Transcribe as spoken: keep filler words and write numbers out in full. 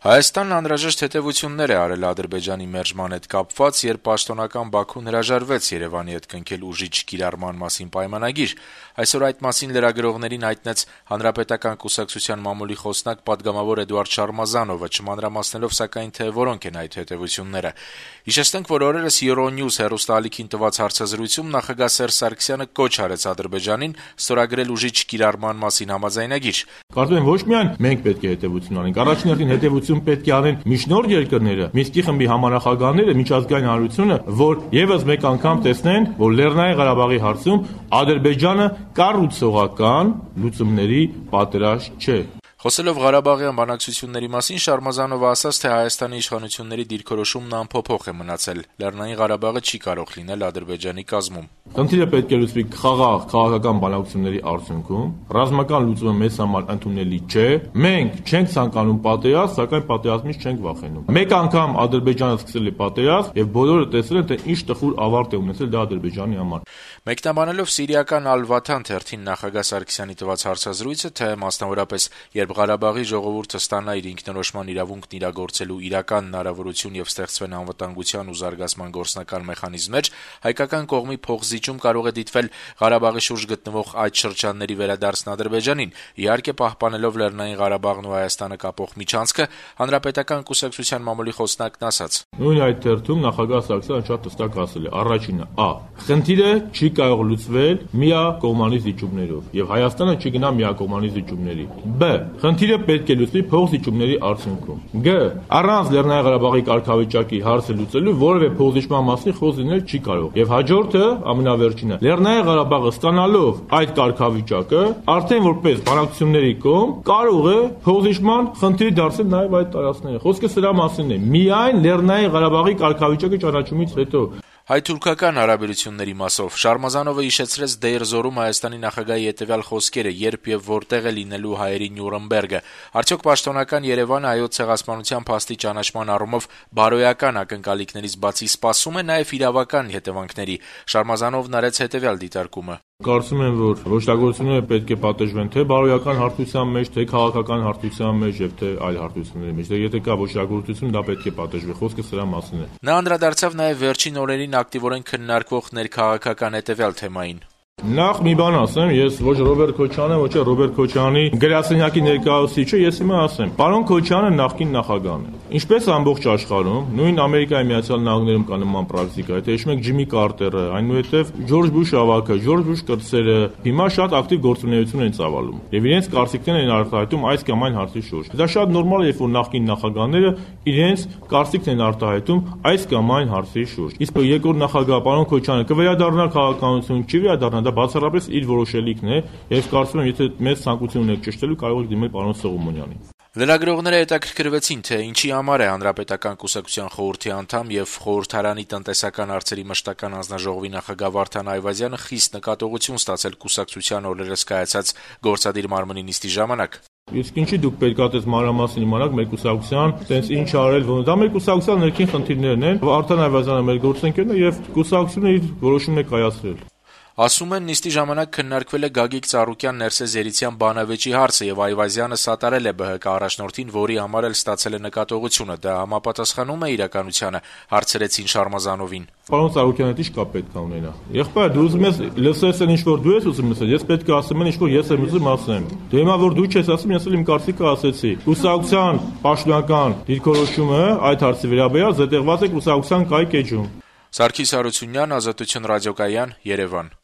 Հայաստանն անհրաժեշտ հետևություններ է արել Ադրբեջանի մերժման հետ կապված, երբ պաշտոնական Բաքուն հրաժարվեց Երևանի հետ կնքել ուժիչ կիրառման մասին պայմանագիր։ Այսօր այդ մասին լրագրողներին հայտնեց Հանրապետական կուսակցության մամուլի խոսնակ պատգամավոր Էդուարդ Շարմազանովը, չմանրամասնելով սակայն, թե որոնք են այդ հետևությունները։ Հիշեցնենք, որ օրերս Euronews հեռուստաալիքին տված հարցազրույցում նախագահ Սերժ Սարգսյանը կոչ արեց Ադրբեջանին ստորագրել ուժիչ կիրառման մասին համաձայնագիր։ Կարծում եմ, ոչ միայն մենք պետք է հետևություն անենք, առաջին հերթին հետևություն պետք է անեն միջնորդ երկրները, Մինսկի խմբի համանախագահները, միջազգային հանրությունը, որ եւս մեկ անգամ տեսնեն, որ Լեռնային Ղարաբաղի հարցում Ադրբեջանը կառուցողական լուծումների պատրաստ չէ։ Խոսելով Ղարաբաղյան բանակցությունների մասին, Շարմազանովը ասաց, թե Հայաստանի իշխանությունների դիրքորոշումն անփոփոխ է մնացել։ Լեռնային Ղարաբաղը չի կարող լինել Ադրբեջանի կազմում։ Խնդիրը պետք է լուծվի խաղաղ քաղաքական բանակցությունների արդյունքում։ Ռազմական լուծումը մեզ համար ընդունելի չէ։ Մենք չենք ցանկանում պատերազմ, սակայն պատերազմից չենք վախենում։ Մեկ անգամ Ադրբեջանը սկսել է պատերազմ, եւ բոլորը տեսել են, թե ինչ տխուր ավարտ է ունեցել դա Ադրբեջանի համար։ Մեկնաբանելով սիրիական Ալ-Վաթան թերթին նախագահ Սարգսյանի տված հարցազրույցը, թե մասնավորապես երբ Ղարաբաղի ժողովուրդը ստանա իր ինքնորոշման իրավունքն իրագործելու իրական հնարավորություն եւ ստեղծվեն անվտանգության ու զարգացման գործնական մեխանիզմներ, հայկական կողմի փոխզիջում կարող է դիտվել Ղարաբաղի շուրջ գտնվող այդ շրջանների վերադարձն Ադրբեջանին, իհարկե պահպանելով Լեռնային Ղարաբաղն ու Հայաստանը կապող միջանցքը, Հանրապետական կուսակցության մամուլի խոսնակն ասաց. Նույն այդ թերթում նախագահ Սարգսյանը շատ հստակ ասել է. առաջինը, ա. Խնդիրը չի կարող լուծվել միակողմանի զիջումներով եւ Հայաստանը չի գնա միակողմանի զիջումների։ Բ. Խնդիրը պետք է լուծվի փոխզիջումների արդյունքում։ Գ. Առանց Լեռնային Ղարաբաղի կարգավիճակի հարցը լուծելու որևէ փոխզիջման մասին խոսք լինել չի կարող։ Եվ հաջորդը, ամենավերջինը, Լեռնային Ղարաբաղը ստանալով այդ կարգավիճակը, արդեն որպես բանակցությունների կողմ կարող է փոխզիջման խնդիր դարձնել նաեւ այդ տարածքները։ Խոսքը սրա մասին է։ Միայն Լեռնային Ղարաբաղի կարգավիճակը ճանաչումից հետո։ Հայ-թուրքական հարաբերությունների մասով Շարմազանովը հիշեցրեց Դեյր Զորում Հայաստանի նախագահի հետևյալ խոսքերը, երբ եւ որտեղ է լինելու հայերի Նյուրնբերգը։ Արդյոք պաշտոնական Երևանը հայոց ցեղասպանության փաստի ճանաչման առումով բարոյական ակնկալիքներից բացի սպասում է նաեւ իրավական հետևանքների։ Շարմազանովն արեց հետևյալ դիտարկումը. Կարծում եմ, որ ոչտագործությունները պետք է պատժվեն թե բարոյական հարթության մեջ, թե քաղաքական հարթության մեջ եւ թե այլ հարթությունների մեջ։ Դե եթե կա ոչտագործություն, դա պետք է պատժվի։ Խոսքը սրա մասին է։ Նա անդրադարձավ նաեւ վերջին օրերին ակտիվորեն քննարկվող ներքաղաքական հետևյալ թեմային. Նախ մի բան ասեմ, ես ոչ Ռոբերտ Քոչարյանը, ոչ Ռոբերտ Քոչարյանի գրասենյակի ներկայացուցիչը, ես հիմա ասեմ, պարոն Քոչարյանը նախկին նախագահն է։ Ինչպես ամբողջ աշխարհում, նույն Ամերիկայի Միացյալ Նահանգներում կա նման պրակտիկա, եթե հիշում եք Ջիմի Կարտերը, այնուհետև Ջորջ Բուշ ավագը, Ջորջ Բուշ կրտսերը հիմա շատ ակտիվ գործունեություն են ծավալում եւ իրենց կարծիքներն են արտահայտում այս կամ այն հարցի շուրջ։ Դա շատ նորմալ է, երբ որ նախկին նախագահները իրենց կարծիքն են արտահայտում այս կամ այն հարցի շուրջ։ Իսկ երկրորդ նախագահ պարոն Քոչարյանը կվերադառնա քաղաքականություն, չի վերադառնա, դա բացառապես իր որոշելիքն է, եւ կարծում եմ, եթե մեծ ցանկություն ունեք ճշտելու, կարող եք դիմել պարոն Սողոմոնյանին։ Լրագրողները հետաքրքրվեցին, թե ինչի համար է Հանրապետական կուսակցության խորհրդի անդամ եւ խորհրդարանի տնտեսական հարցերի մշտական հանձնաժողովի նախագահ Վարդան Այվազյանը խիստ նկատողություն ստացել կուսակցության օրերս կայացած գործադիր մարմնի նիստի ժամանակ։ Իսկ ինչի դուք պետք է այդպես մանրամասն իմանաք մեր կուսակցության, տենց ինչ արել, ոնց դա մեր կուսակցության ներքին խնդիրներն են։ Վարդան Այվազյանը մեր գործընկերն է եւ կուսակցությունը իր որոշումն է կայացրել։ Ասում են, նիստի ժամանակ քննարկվել է Գագիկ Ծառուկյան Ներսես Երիցյան բանավեճի հարցը եւ Այվազյանը սատարել է ԲՀԿ առաջնորդին, որի համար էլ ստացել է նկատողությունը։ Դա համապատասխանում է իրականությանը, հարցրեցին Շարմազանովին։ Պարոն Ծառուկյանը ի՞նչ կապ պետք է ունենա։ Եղբայր, դու ուզում ես լսես այն ինչ որ դու ես ուզում լսել, ես պետք է ասեմ այն ինչ որ ես եմ ուզում ասեմ։ Դե հիմա որ դու չես ասում, ես էլ իմ կարծիքը ասեցի։ Կուսակցության պաշտոնական դիրքորոշումը այդ հարցի վերաբերյալ զետեղված է կուսակցության կայք էջում։ Սարգիս Հարությունյան, Ազատություն ռադիոկայան, Երևան։